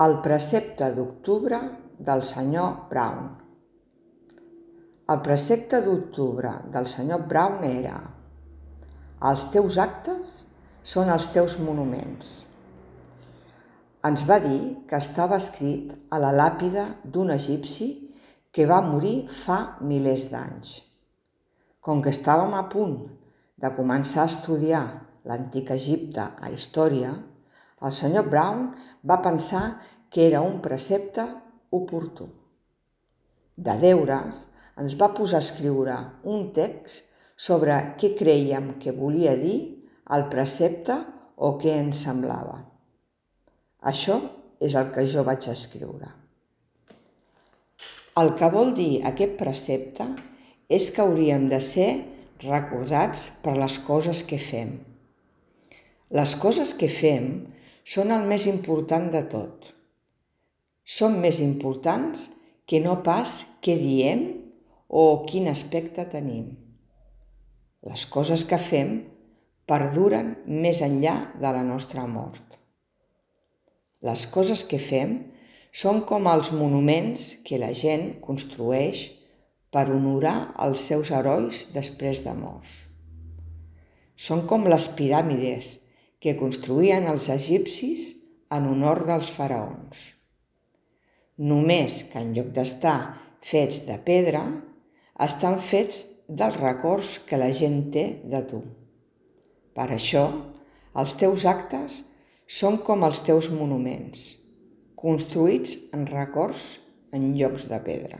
El precepte d'octubre del senyor Brown. El precepte d'octubre del senyor Brown era: els teus actes són els teus monuments. Ens va dir que estava escrit a la làpida d'un egipci que va morir fa milers d'anys. Com que estàvem a punt de començar a estudiar l'antic Egipte a història, el senyor Brown va pensar que era un precepte oportú. De deures, ens va posar a escriure un text sobre què crèiem que volia dir el precepte o què ens semblava. Això és el que jo vaig escriure. El que vol dir aquest precepte és que hauríem de ser recordats per les coses que fem. Les coses que fem són el més important de tot. Són més importants que no pas què diem o quin aspecte tenim. Les coses que fem perduren més enllà de la nostra mort. Les coses que fem són com els monuments que la gent construeix per honorar els seus herois després de morts. Són com les piràmides que construïen els egipcis en honor dels faraons. Només que en lloc d'estar fets de pedra, estan fets dels records que la gent té de tu. Per això, els teus actes són com els teus monuments, construïts en records en llocs de pedra.